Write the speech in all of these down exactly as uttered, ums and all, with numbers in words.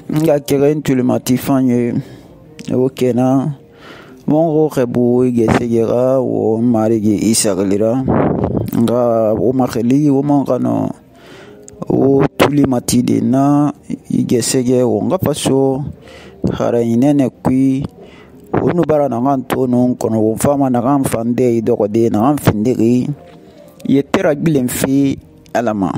nga keren tulimati fanye wo kenan wongo xebu gesegera wo marigi isagalira nga wo maxili wo man xano wo tulimati de na igesege wo nga faso xara inene kui wo nu bara naxan tonun kono wo fama naxan fande i doxode naxan findixi yetera gbilen fe alama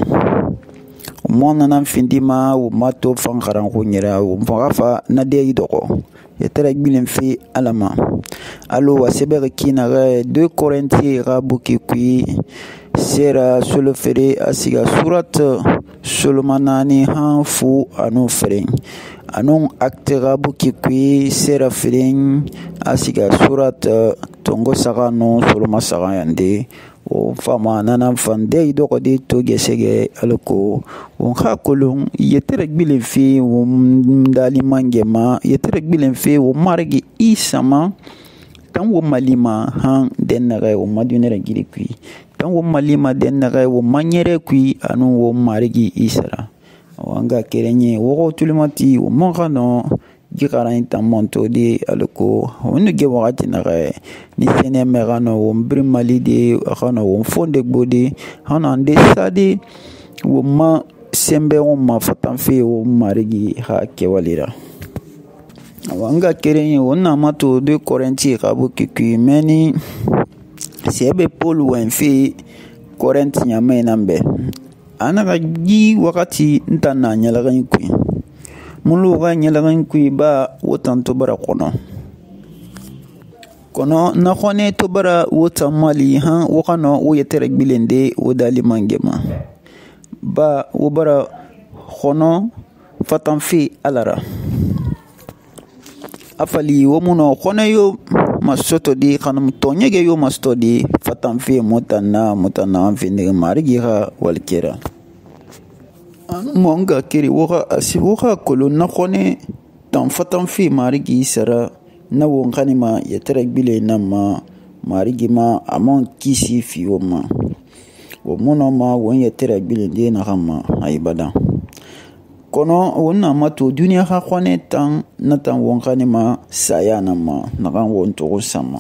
mo nanan findima wo mato fan xaran xuɲera wo faxa fa na de i doxo yetera gbilen fe alama alo wa sebexi kinaxe deux Corinthiens xa buki kui sera solo fere a siga surat solomanani han fu anu feren anun acte xa buki kui sera feren a siga surat tongo saxa nu soloma saxa yande o fama nanan fande i doxode to gesege alako won xa kolon yetere gbilen fe wo ndali mangema yetere gbilen fe wo marigi isa ma tan wo malima han dennaxe wo madunere giri kui tan wo malima dennaxe wo manyere kui anu wo marigi isara wanga kerenye wo tulimati wo monxano gixaran tan monto de alako wonu ge waxati naxe ni sene me xano wo mbiri mali de xano wo fonde gbode xano ande sade wo ma sembe wo ma fatan fe wo marigi xa kewalira wanga kerenye wo namato deux Corinthiens xa buki kui meni sebe Paul wen fe Corinthe ɲama nan bɛ a naxa gi waxati n tan na ɲɛlɛxin kui mulu xa ɲɛlɛxin kui ba wo tan to bara kɔnɔ kɔnɔ na xɔnɛ to bara wo tan mali han wo xanɔ wo yɛtɛrɛ gbilen de wo dali mangema ba wo bara xɔnɔ fatan fe alara a fali wo munɔ xɔnɛ yo masoto di xanum tɔɲɛgɛ yo masoto di fatan fe mutanna mutanna an findigi marigi xa walikera anu mo nga keri wo xa asi wo xa kolon na xɔnɛ tan fatan fe marigi sara na won xanima yɛtɛrɛ gbile nan ma marigi ma a man kisi fi wo ma wo munɔ ma won yɛtɛrɛ gbile de naxan ma ayi badan kono won na mato duniya xa xɔnɛ tan na tan won xanima saya nan ma naxan won toxo sama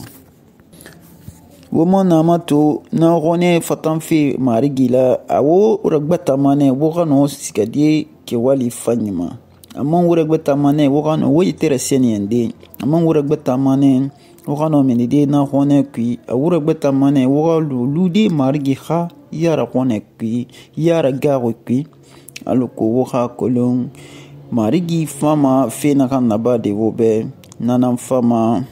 wo mo na mato na xɔnɛ fatan fe marigi la a wo ragbatamane wo xano sigade kewali fanɲima a man wo ragbatamane wo xano wo yitɛrɛ seniyande a man wo ragbatamane wo xano minide na xɔnɛ kui a wo ragbatamane wo xa lude marigi xa yara xɔnɛ kui yara gaxo kui aloko wo xa kolon marigi fama fe naxan naba de wo bɛ nanan fama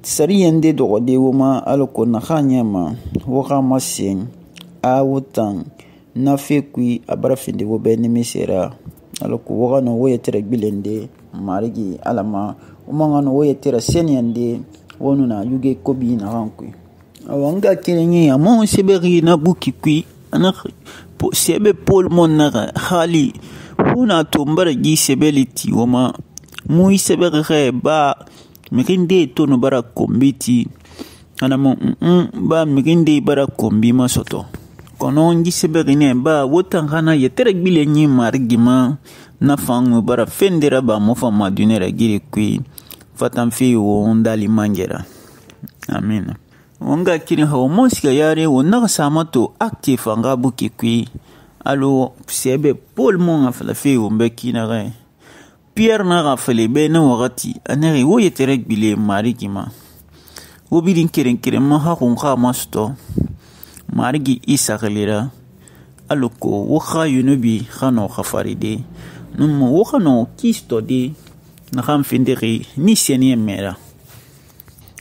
sariyen de dɔgɔde wo ma aloko naxan ɲɛma wo xa masen a wo tan na fe kui a bara finde wo bɛ nimisera aloko wo xano wo yɛtɛrɛ gbilen de marigi alama wo man xano wo yɛtɛrɛ seniyen de wo nuna yuge kobi naxan kui awa nga kerenye a man sebexi na buki kui ana sebe Paul mon naxa xali funa to mbara gi sebeli ti woma mu sebexi xe ba mixinde to no bara kombi ti ana mo mm ba mixinde bara kombi ma soto kono ngi sebexi ne ba wotan xana yetere gbile nyi marigi ma na fangu bara fendera ba mo fa madunera giri kui fatan fi wo ndali mangera amin wanga kiri hawa monsiga yare wo naga samato active anga buki kui alo sebe Paul mon afala fe wo mbeki na re Pierre na rafale be na wakati anere wo yetere gbile marigi ma wo bidin keren keren ma ha kun kha masto marigi isa galera alo ko wo kha yunubi khano khafaride num wo khano kisto de na kham findiri ni seni mera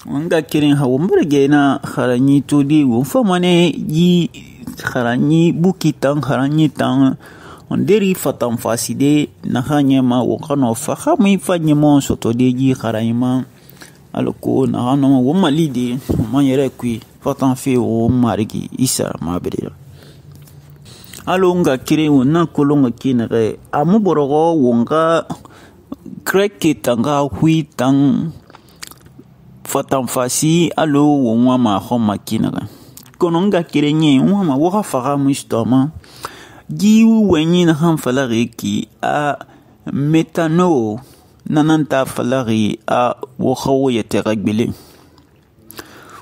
wanga kirin hawo mbarge na kharanyi to di wo famane yi kharanyi buki tan kharanyi tan on deri fatan faside na khanye ma wo khano fa khami fanye mon soto de yi kharayma alko na hano wo malide man yere kui fatan fe wo marigi isa mabere alo nga kirin wo na kolonga kinere amu borogo wonga kreke tanga hui tang fatan fasi alo wo nwa ma kho makina kono nga kirenye nwa ma wo ga faga mu stoma gi wenyi na han falare ki a metano nananta falari a wo xa wo yɛtɛ xa gbilen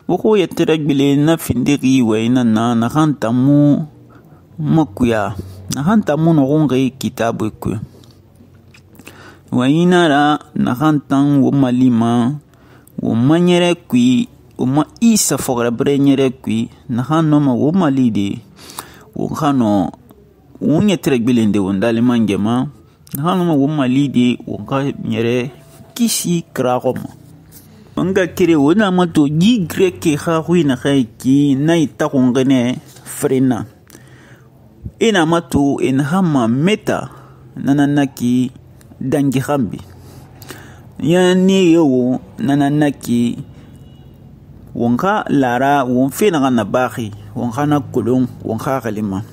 wo xa wo yɛtɛ xa gbilen na findixi wayina na naxan tamu makuya naxan tamu noxunxi kitabu kui wayina ra naxan tan wo malima wo ma ɲɛrɛ kui wo ma isa fɔxirabirɛ ɲɛrɛ kui naxan nɔma wo mali de wo xa nɔ wo ɲɛtɛ xa gbilen de wo ndaliman gɛma naxan nɔma wo mali de wo xa ɲɛrɛ kisi kiraxɔ ma nga kere wo na mato ji greke xa xui naxa ki na i taxunxinɛ frena e na mato e naxan ma meta nanan ki dangi xanbi ya ne ye wo nanan ki won xa lara won fe naxan na baxi won xa na kolon won xa xalima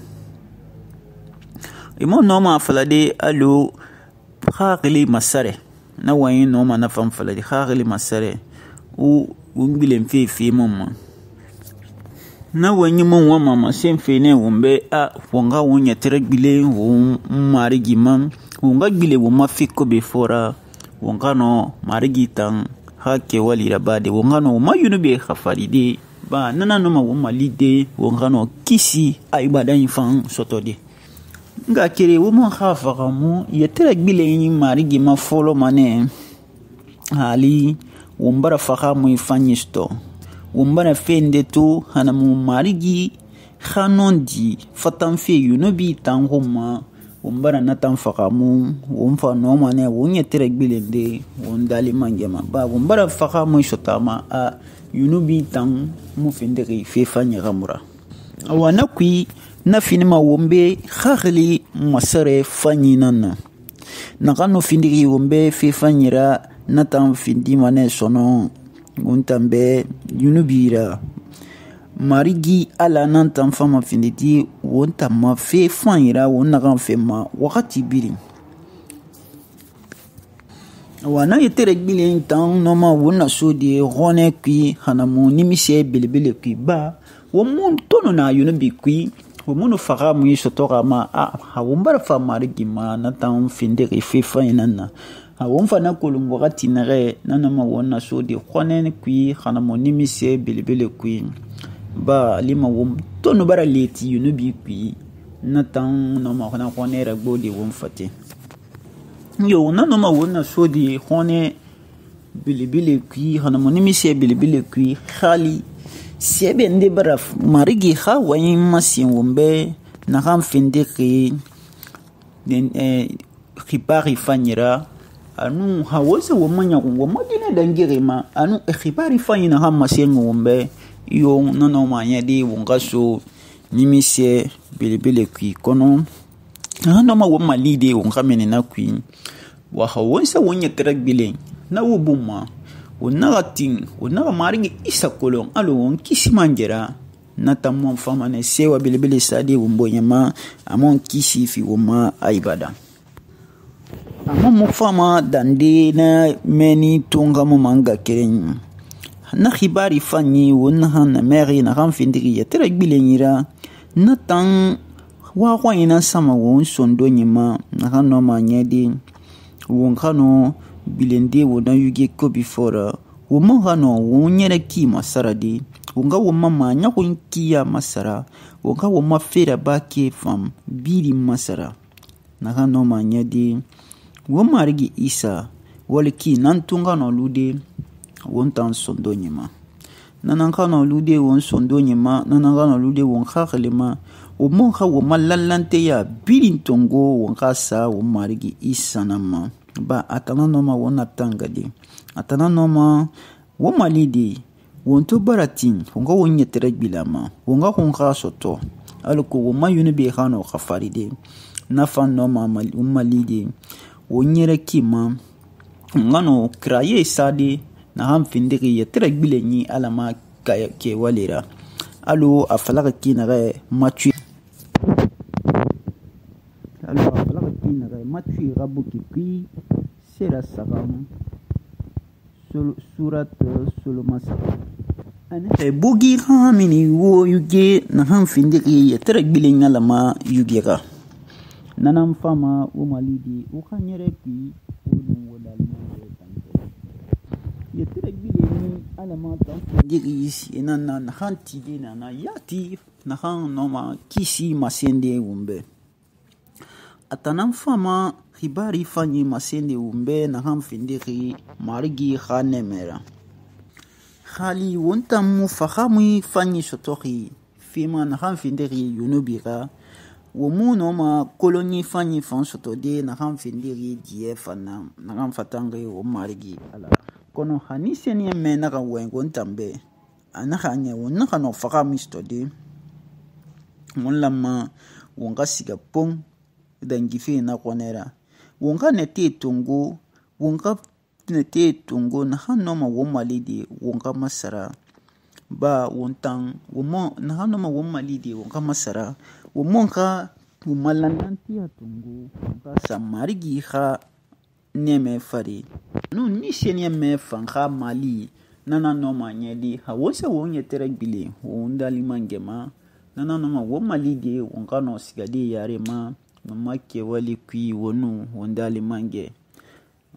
imo nɔma falade alo xaxili masare na wayi nɔma na fan falade xaxili masare u ungbilen fe fe mama na wani mun wa mama sen fe ne wumbe a wonga wonya tere gbile won marigi man wonga gbile wo mafi ko be fora wonga no marigi tan ha ke wali rabade wonga no ma yunu be khafalide ba nana no ma wo malide wonga no kisi ay badan fan sotode nga kere wo mon khafa mu ya tere gbile yin marigi ma folo mane hali wombara faxa muy fanyisto wombara fende to hana mu marigi khanondi fatan fe yunubi tan homa wombara natan faxa mu womfa no mane wonya tere gbilende wondali mangema ba wombara faxa muy sotama a yunubi tan mu fenderi fe fanya gamura awana kui na finima wombe khakhli masare fanyinana nakano findiri wombe fe fanyira natan findi mane sono untambe yunubira marigi ala nantan fama finditi wonta ma fe fanyira wonna kan fe ma wakati biri wana yetere gbilen tan noma wonna sodi rone kui hanamu nimise belebele kui ba wo mun tono na yunubi kui wo munu faga mu sotora ma a ha wombara fa marigi ma natan findiri fe fanyina a won fana kolon wakati nare nanama wonna so de khonen kui khana monimi se belebele kui ba lima wom tonu bara leti yunubi kui natan no ma khana khonera gbodi won fate yo nanama wonna so de khone belebele kui khana monimi se belebele kui khali sebe nde bara marigi kha wayin masin wombe na kan finde ki den eh khipari fanyira anu hawose wo manya wo madina dangere ma anu khibari fanyina hamma sengo wombe yo nono manya di wongaso nimise belebele kui kono anu ma wo malide won kamene na kui wa hawose wonya tragbile na wo bumma wona tin wona marigi isa kolon alo won kisimanjera na tamon fama ne sewa belebele sadi wombonyama amon kisi fi woma aibada amma mu fama dande na meni tunga mu manga keren na khibari fanyi wonna han meri na ran findiri ya tere gbilenira na tan wa kwa ina sama won sondo nyima na ran no manyedi won kano bilende wona yuge ko before wo mo hano won nyere ki masaradi wonga wo mama nya kun kiya masara wonga wo mafera bake fam biri masara na ran no manyedi wo marigi isa waliki nan tunga no lude won tan sondo nyima nanan kana lude won sondo nyima nanan kana lude won khaklima o mon kha wo malallante ya birin tongo won khasa wo marigi isa nama ba atana no ma wona tangadi atana no ma wo malidi won to baratin won ga won yetere bilama won ga kon khasoto alko wo mayune be khano khafaride na fan no ma mal malidi wonyere kima ngano kraye sadi na ham findiri yetere gbilenyi alama ke walira alo afalaga kinare matu alo afalaga kinare matu rabuki pi sera sagam surat sulumasa ane e bugi hamini wo yuge na ham findiri yetere gbilenya alama yugera nanan fama wo malidi wo xa ɲɛrɛ kui wo nun wo dalimange tante yetere gbile ni alama tan diri ina na naxan tide nana yati naxan nɔma kisi masende wunbɛ a tanan fama xibari fanyi masende wunbɛ naxan findixi marigi xa nɛmɛ ra xali won tan mu faxamui fanyi sɔtɔxi fima naxan findixi yunubi ra wo mu nɔma koloni fanyi fan sɔtɔde naxan findixi diɲɛ fan na naxan fatanxi wo marigi ala kɔnɔ hani sɛniyɛ mɛ naxa wɛn won tan bɛ a naxa ɲɛ won naxa nɔ faxamui sɔtɔde won lamma won xa siga pon dangife na xɔnɛ ra won xa nɛte tongo won xa nɛte tongo naxan nɔma won mali de won xa masara ba won tan won naxan nɔma won mali de won xa masara won mon xa won malandantiya tongo won xa sa marigi xa nɛmɛ fare nun ni sɛniyɛ mɛ fan xa mali nana nɔma ɲɛdi ha won sa won yɛtɛrɛ gbile won dalimangɛma nana nɔma won mali de won xa nɔ sigade yare ma won ma kɛwale kui won nu won dalimangɛ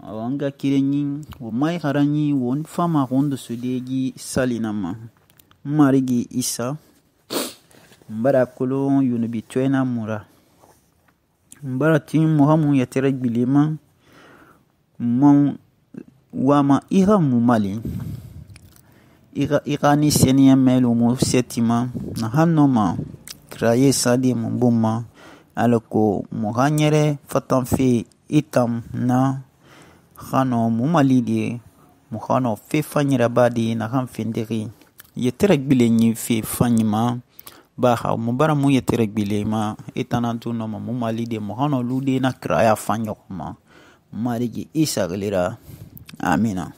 an ga kirenyi won mai xaranyi won fama won dosodegi salina ma marigi isa mbara kolon yunubi tɔɛna mura mbara tin muhamu yɛtɛrɛ gbile ma mon wama ira mu mali ira ira ni sɛniyɛ mɛlu mu sɛtima naxan nɔma kiraye sade mu boma alako mu xa ɲɛrɛ fatanfe itam na xa nɔ mu mali de mu xa nɔ fe fanyiraba de naxan findixi yɛtɛrɛ gbile ɲi fe fanyi ma baxa mu bara mu yɛtɛrɛ gbile ma itanantu nɔma mu mali de mu xa nɔ lude na kiraya fan ɲɔgɔn ma marigi isa xilira amina.